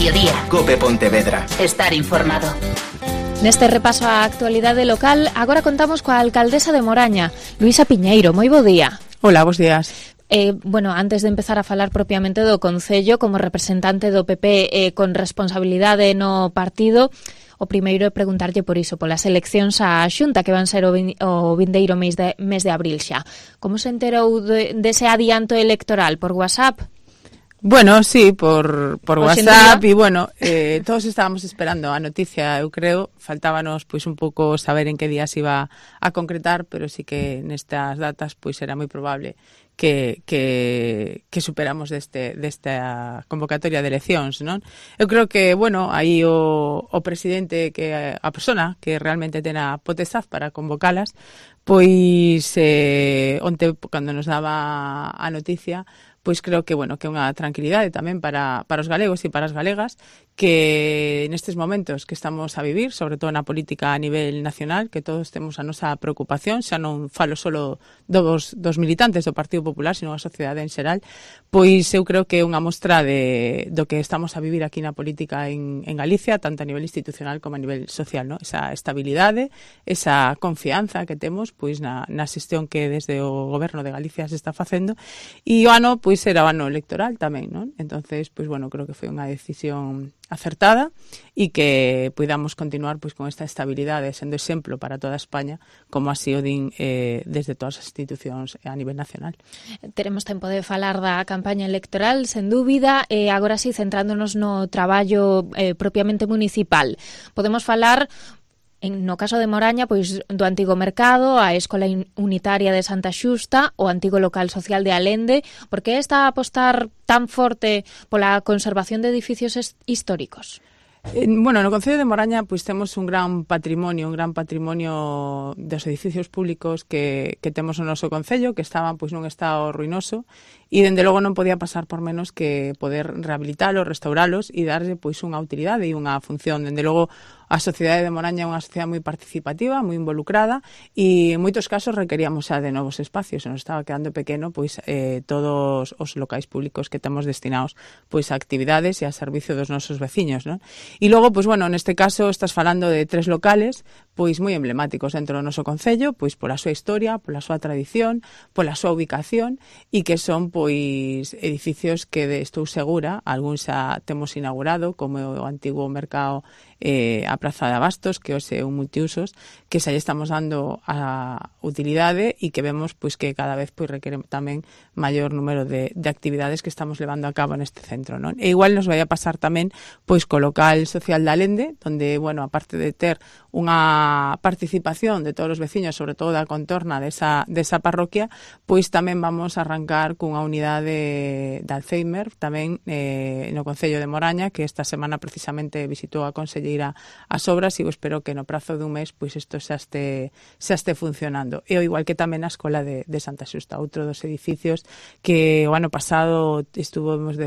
mediodía. COPE Pontevedra. Estar informado. Neste repaso á actualidade local, agora contamos coa alcaldesa de Moraña, Luisa Piñeiro. Moi bo día. Hola, bos días. Bueno, antes de empezar a falar propiamente do Concello, como representante do PP con responsabilidade no partido, o primeiro é preguntarlle por iso, polas eleccións á Xunta que van ser o vindeiro mes de abril xa. Como se enterou dese adianto electoral? Por WhatsApp? Bueno, sí, por WhatsApp e, bueno, todos estábamos esperando a noticia, eu creo, faltábanos pois un pouco saber en que día se iba a concretar, pero sí que nestas datas pois era moi probable que superamos desta convocatoria de eleccións, non? Eu creo que, bueno, aí o presidente, que a persona que realmente ten a potestad para convocalas, pois onte, cando nos daba a noticia, pois creo que, bueno, que é unha tranquilidade tamén para os galegos e para as galegas, que nestes momentos que estamos a vivir, sobre todo na política a nivel nacional, que todos temos a nosa preocupación, xa non falo solo dos militantes do Partido Popular, sino a sociedade en xeral, pois eu creo que é unha mostra do que estamos a vivir aquí na política en Galicia, tanto a nivel institucional como a nivel social, ¿no? Esa estabilidade, esa confianza que temos pois na xestión que desde o Goberno de Galicia se está facendo, e o ano pois era o ano electoral tamén, non? Entonces, pois bueno, creo que foi unha decisión acertada e que podamos continuar pois con esta estabilidade sendo exemplo para toda España, como así o din desde todas as institucións a nivel nacional. Teremos tempo de falar da campaña electoral, sen dúbida, e agora sí, centrándonos no traballo propiamente municipal. Podemos falar, no caso de Moraña, pois do antigo mercado, a Escola Unitaria de Santa Xusta, o antigo local social de Alende. Por que está a apostar tan forte pola conservación de edificios históricos? Bueno, no Concello de Moraña pois temos un gran patrimonio dos edificios públicos que temos no noso Concello, que estaban pois nun estado ruinoso, e dende logo non podía pasar por menos que poder rehabilitalos, restauralos e darlle pois unha utilidade e unha función. Dende logo a sociedade de Moraña é unha sociedade moi participativa, moi involucrada, e en moitos casos requeríamos xa de novos espacios, se nos estaba quedando pequeno pois todos os locais públicos que temos destinados pois a actividades e a servicio dos nosos veciños, non? E logo, pois bueno, neste caso estás falando de 3 locales pois moi emblemáticos dentro do noso Concello, pois pola súa historia, pola súa tradición, pola súa ubicación, e que son pois edificios que estou segura, algúns xa temos inaugurado, como o antigo mercado, a Praza de Abastos, que hoxe é un multiusos, que xa lle estamos dando a utilidade e que vemos pois que cada vez pois requere tamén maior número de actividades que estamos levando a cabo neste centro, non? E igual nos vai a pasar tamén pois co local social de Alende, donde, bueno, aparte de ter unha participación de todos os veciños, sobre todo da contorna desa parroquia, pois tamén vamos a arrancar cunha unidade de Alzheimer tamén no Concello de Moraña, que esta semana precisamente visitou a conselleira as obras, e eu espero que no prazo dun mes pois isto xa este funcionando. E o igual que tamén a Escola de Santa Xusta, outro dos edificios que o ano pasado estuvemos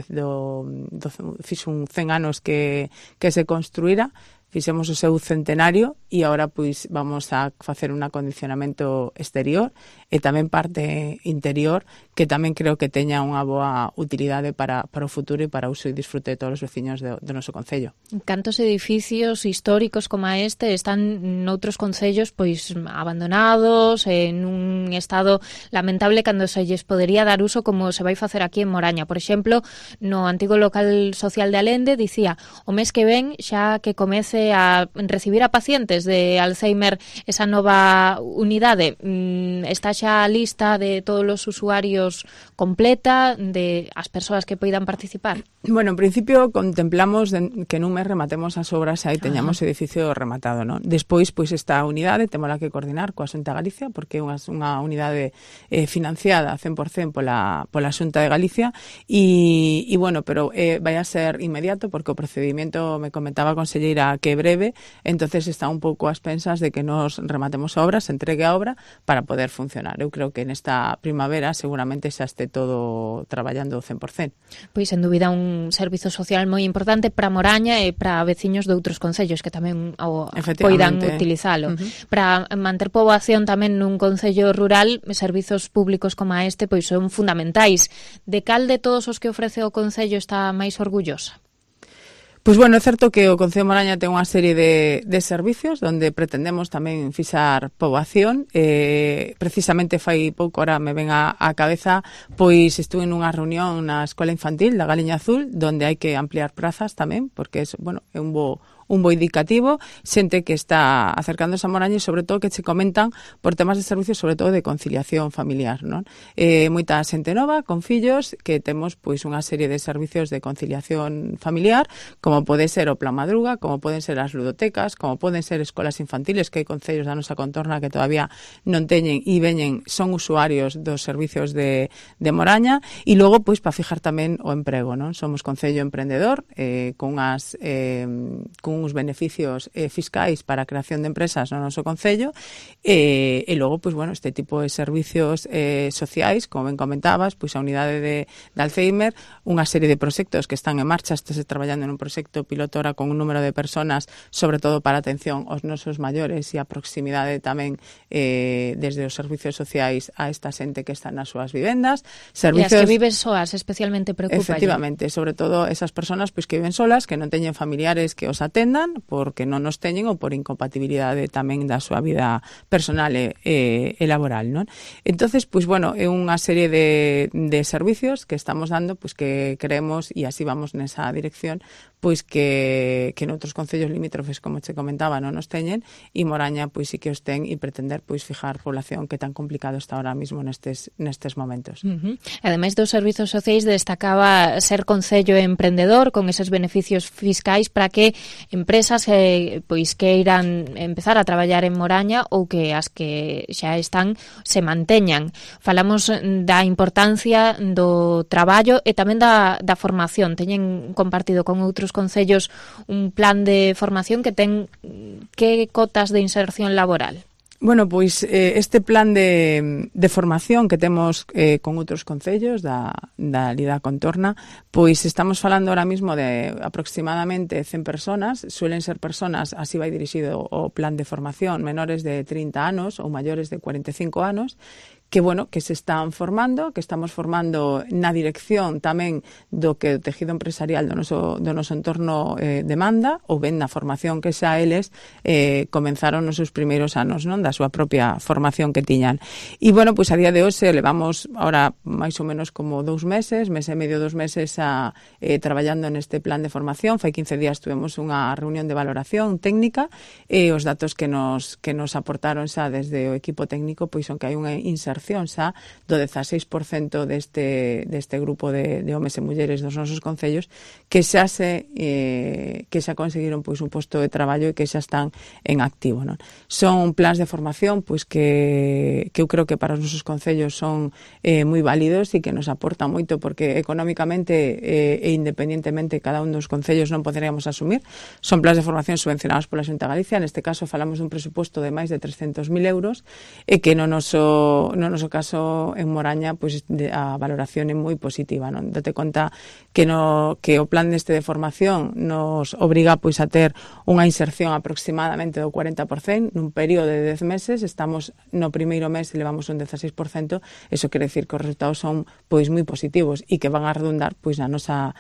fixo un 100 anos que se construíra, fixemos o seu centenario, e agora pois vamos a facer un acondicionamento exterior e tamén parte interior, que tamén creo que teña unha boa utilidade para o futuro e para o uso e disfrute de todos os veciños do noso Concello. Cantos edificios históricos como este están noutros concellos pois abandonados, en un estado lamentable, cando se lles podería dar uso como se vai facer aquí en Moraña? Por exemplo, no antigo local social de Alende, dicía, o mes que ven xa que comece a recibir a pacientes de Alzheimer esa nova unidade. Está xa a lista de todos os usuarios completa, de as persoas que poidan participar? Bueno, en principio contemplamos que nun mes rematemos as obras e aí teñamos o edificio rematado, non? Despois, pois esta unidade temola que coordinar coa Xunta de Galicia, porque é unha unidade financiada 100% pola Xunta de Galicia, e bueno, pero vai a ser inmediato, porque o procedimento, me comentaba a conselleira, que é breve, entonces está un pouco ás pensas de que nos rematemos a obra, se entregue a obra para poder funcionar. Eu creo que nesta primavera seguramente xa este todo traballando 100%. Pois, sen dúbida, un servizo social moi importante para Moraña e para veciños de outros concellos que tamén poidan utilizalo. Para manter poboación tamén nun concello rural, servizos públicos como este pois son fundamentais. De cal de todos os que ofrece o concello está máis orgullosa? Pois bueno, é certo que o Concello de Moraña ten unha serie de servicios onde pretendemos tamén fixar poboación. Precisamente fai pouco, ahora me ven á cabeza, pois estuve nunha reunión na Escola Infantil da Galiña Azul, donde hai que ampliar prazas tamén, porque é un bo indicativo, xente que está acercándose a Moraña e sobre todo que che comentan por temas de servicios, sobre todo de conciliación familiar, non? Moita xente nova con fillos que temos pois unha serie de servicios de conciliación familiar, como pode ser o Plan Madruga, como poden ser as ludotecas, como poden ser escolas infantiles, que hai concellos da nosa contorna que todavía non teñen e son usuarios dos servicios de Moraña, e logo pois para fijar tamén o emprego, non? Somos concello emprendedor, con uns beneficios fiscais para a creación de empresas no noso concello, e logo, pois, bueno, este tipo de servicios sociais, como ben comentabas, pois a unidade de Alzheimer, unha serie de proxectos que están en marcha, estáse traballando nun proxecto pilotora con un número de personas, sobre todo para atención aos nosos maiores e a proximidade tamén desde os servicios sociais a esta xente que está nas súas vivendas. Servicios... E as que viven soas, especialmente preocupa. Efectivamente, sobre todo esas personas pois que viven solas, que non teñen familiares que os atendan, porque non nos teñen ou por incompatibilidade tamén da súa vida personal e laboral, non? Entonces, pois bueno, é unha serie de servicios que estamos dando, pois que creemos, e así vamos nesa dirección, pois que noutros concellos limítrofes, como che comentaba, non nos teñen, e Moraña pois sí que os ten, e pretender pois fijar población que tan complicado está ahora mismo nestes momentos. Ademais dos servizos sociais, destacaba ser concello emprendedor con eses beneficios fiscais para que empresas pois queiran empezar a traballar en Moraña ou que as que xa están se manteñan. Falamos da importancia do traballo e tamén da formación. Teñen compartido con outros concellos un plan de formación que ten que cotas de inserción laboral? Bueno, pois este plan de formación que temos con outros concellos da Lida Contorna, pois estamos falando ahora mismo de aproximadamente 100 personas, suelen ser personas, así vai dirixido o plan de formación, menores de 30 anos ou maiores de 45 anos, que, bueno, que se están formando, que estamos formando na dirección tamén do que o tejido empresarial do noso entorno demanda, ou ben na formación que xa eles comenzaron nos seus primeiros anos, non, da súa propia formación que tiñan. E, bueno, pois a día de hoxe levamos ahora máis ou menos como 2 meses, mes e medio, 2 meses traballando neste plan de formación. Fai 15 días tuvemos unha reunión de valoración técnica e os datos que nos aportaron xa desde o equipo técnico pois son que hai unha inserción xa do 16% deste grupo de homes e mulleres dos nosos concellos que xa conseguiron pois un posto de traballo e que xa están en activo, non? Son plans de formación pois que eu creo que para os nosos concellos son moi válidos e que nos aportan moito porque económicamente e independentemente cada un dos concellos non poderíamos asumir. Son plans de formación subvencionados pola Xunta de Galicia, neste caso falamos dun presuposto de máis de 300.000 euros e que no noso caso en Moraña pois a valoración é moi positiva, non? Date conta que o plan deste de formación nos obriga pois a ter unha inserción aproximadamente do 40% nun período de 10 meses, estamos no primeiro mes e levamos un 16%, eso quere decir que os resultados son pois moi positivos e que van a redundar pois na nosa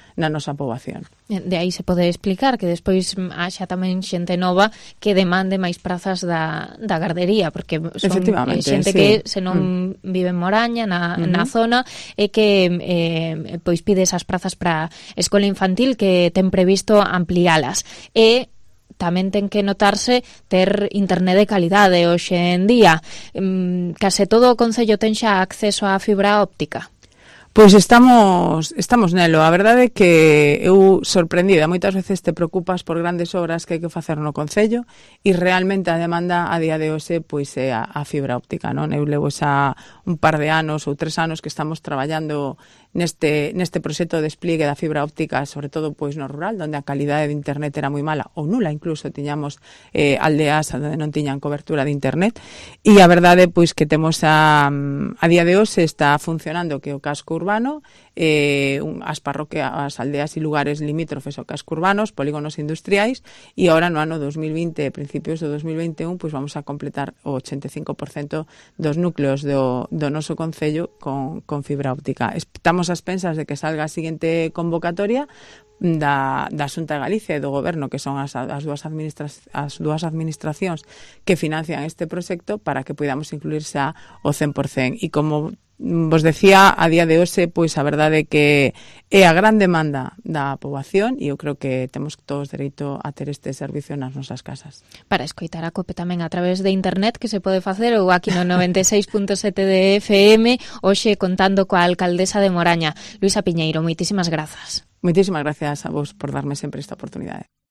poboación. De aí se pode explicar que despois haxa tamén xente nova que demande máis prazas da gardería, porque son xente sí. Que se non vive en Moraña, na zona, e que pois pide esas prazas para escola infantil que ten previsto ampliálas. E tamén ten que notarse ter internet de calidade hoxe en día. Case todo o concello ten xa acceso á fibra óptica. Pois estamos nelo. A verdade é que eu sorprendida. Moitas veces te preocupas por grandes obras que hai que facer no concello e realmente a demanda a día de hoxe pois é a fibra óptica, non? Eu levo xa un par de anos ou 3 anos que estamos traballando neste proxecto de despliegue da fibra óptica, sobre todo pois no rural, onde a calidade de internet era moi mala ou nula, incluso tiñamos aldeas onde non tiñan cobertura de internet, e a verdade pois que temos a día de hoxe está funcionando que o casco urbano, as parroquias, as aldeas e lugares limítrofes ao casco urbanos, polígonos industriais, e ahora no ano 2020, principios do 2021, pois vamos a completar o 85% dos núcleos do noso concello con fibra óptica. Estamos ás pensas de que salga a seguinte convocatoria da Xunta de Galicia e do Goberno, que son as dúas administracións que financian este proxecto, para que podamos incluirse ao 100%. E como vos decía, a día de hoxe, pois a verdade é que é a gran demanda da poboación, e eu creo que temos todos dereito a ter este servicio nas nosas casas. Para escoitar a COPE tamén a través de internet, que se pode facer, ou aquí no 96.7 de FM, hoxe contando coa alcaldesa de Moraña, Luisa Piñeiro. Moitísimas grazas. Moitísimas gracias a vos por darme sempre esta oportunidade.